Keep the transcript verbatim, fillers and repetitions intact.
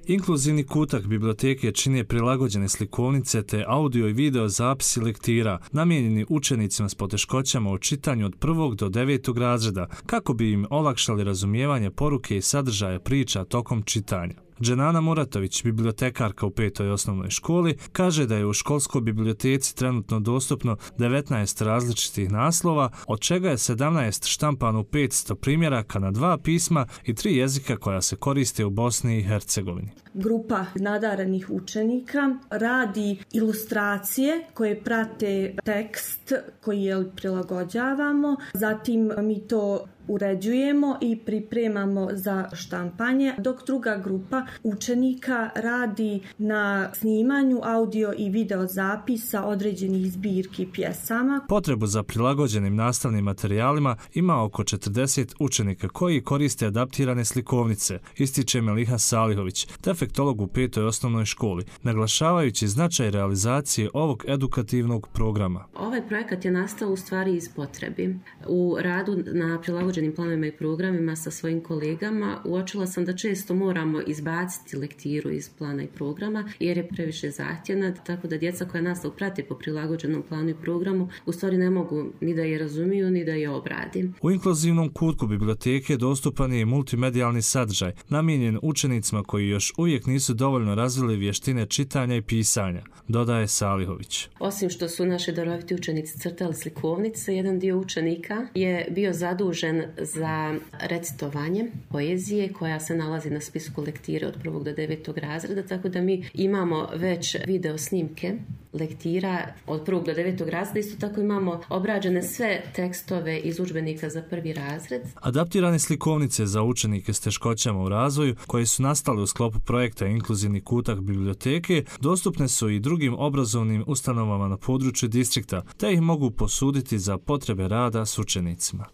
Inkluzivni kutak biblioteke čine prilagođene slikovnice te audio i video zapisi lektira namijenjeni učenicima s poteškoćama u čitanju od prvog do devetog razreda kako bi im olakšali razumijevanje poruke i sadržaja priča tokom čitanja. Dženana Muratović, bibliotekarka u petoj osnovnoj školi, kaže da je u školskoj biblioteci trenutno dostupno devetnaest različitih naslova, od čega je sedamnaest štampano u petsto primjeraka na dva pisma i tri jezika koja se koriste u Bosni i Hercegovini. Grupa nadarenih učenika radi ilustracije koje prate tekst koji je prilagođavamo, zatim mi to uređujemo i pripremamo za štampanje, dok druga grupa učenika radi na snimanju audio i video zapisa određenih zbirki pjesama. Potrebu za prilagođenim nastavnim materijalima ima oko četrdeset učenika koji koriste adaptirane slikovnice, ističe Meliha Salihović, defektolog u petoj osnovnoj školi, naglašavajući značaj realizacije ovog edukativnog programa. Ovaj projekat je nastao u stvari iz potrebi. U radu na prilagođenim planovima i programima sa svojim kolegama uočila sam da često moramo izbaciti lektiru iz plana i programa jer je previše zahtjevna, tako da djeca koja nastavu prate po prilagođenom planu i programu u stvari ne mogu ni da je razumiju ni da je obradi. U inkluzivnom kutku biblioteke dostupan je multimedijalni sadržaj namijenjen učenicima koji još uvijek nisu dovoljno razvili vještine čitanja i pisanja, dodaje Salihović. Osim što su naši daroviti učenici crtali slikovnice, jedan dio učenika je bio zadužen za recitovanje poezije koja se nalazi na spisku lektire od prvog do devetog razreda, tako da mi imamo već video snimke lektira od prvog do devetog razreda. Isto tako imamo obrađene sve tekstove iz udžbenika za prvi razred. Adaptirane slikovnice za učenike s teškoćama u razvoju koje su nastale u sklopu projekta Inkluzivni kutak biblioteke dostupne su i drugim obrazovnim ustanovama na području distrikta, te ih mogu posuditi za potrebe rada s učenicima.